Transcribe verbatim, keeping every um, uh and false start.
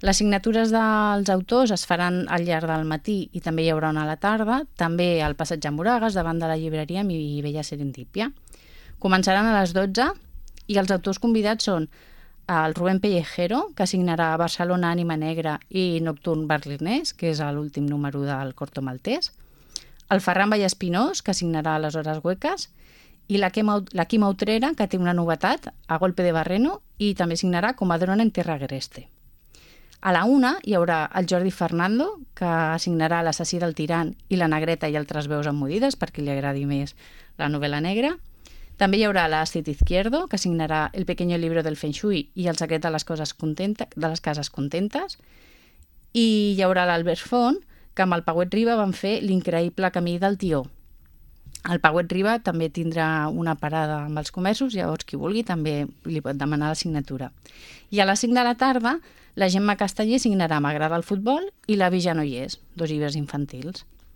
Les signatures dels autors es faran al llarg del matí i també hi haurà una a la tarda, també al Passeig de Moragas, davant de la llibreria Mi Bella Serendípia. Començaran a les dotze i els autors convidats són el Rubén Pellejero, que signarà Barcelona, Ànima Negra i Nocturn Berlinès, que és l'últim número del Corto Maltès, el Ferran Vallespinós, que signarà Les Hores Hueques, i la Quima Utrera, que té una novetat, A Golpe de Barreno, i també signarà Comadrona en Tierra Agreste. A la una hi haurà el Jordi Fernando, que signarà L'Assassí del Tirant i La Negreta i altres veus emmudides, per qui li agradi més la novel·la negra. També hi haurà l'Astrid Izquierdo, que signarà El Pequeño Libro del Feng Shui i El secret de les, coses contenta, de les cases contentes. I hi haurà l'Albert Font, que amb el Pauet Riba van fer L'increïble camí del Tió. El Pauet Riba també tindrà una parada amb els comerços, llavors qui vulgui també li pot demanar la signatura. I a les cinc de la tarda la Gemma Casteller signarà M'agrada el futbol i La Vi ja no hi és, dos llibres infantils.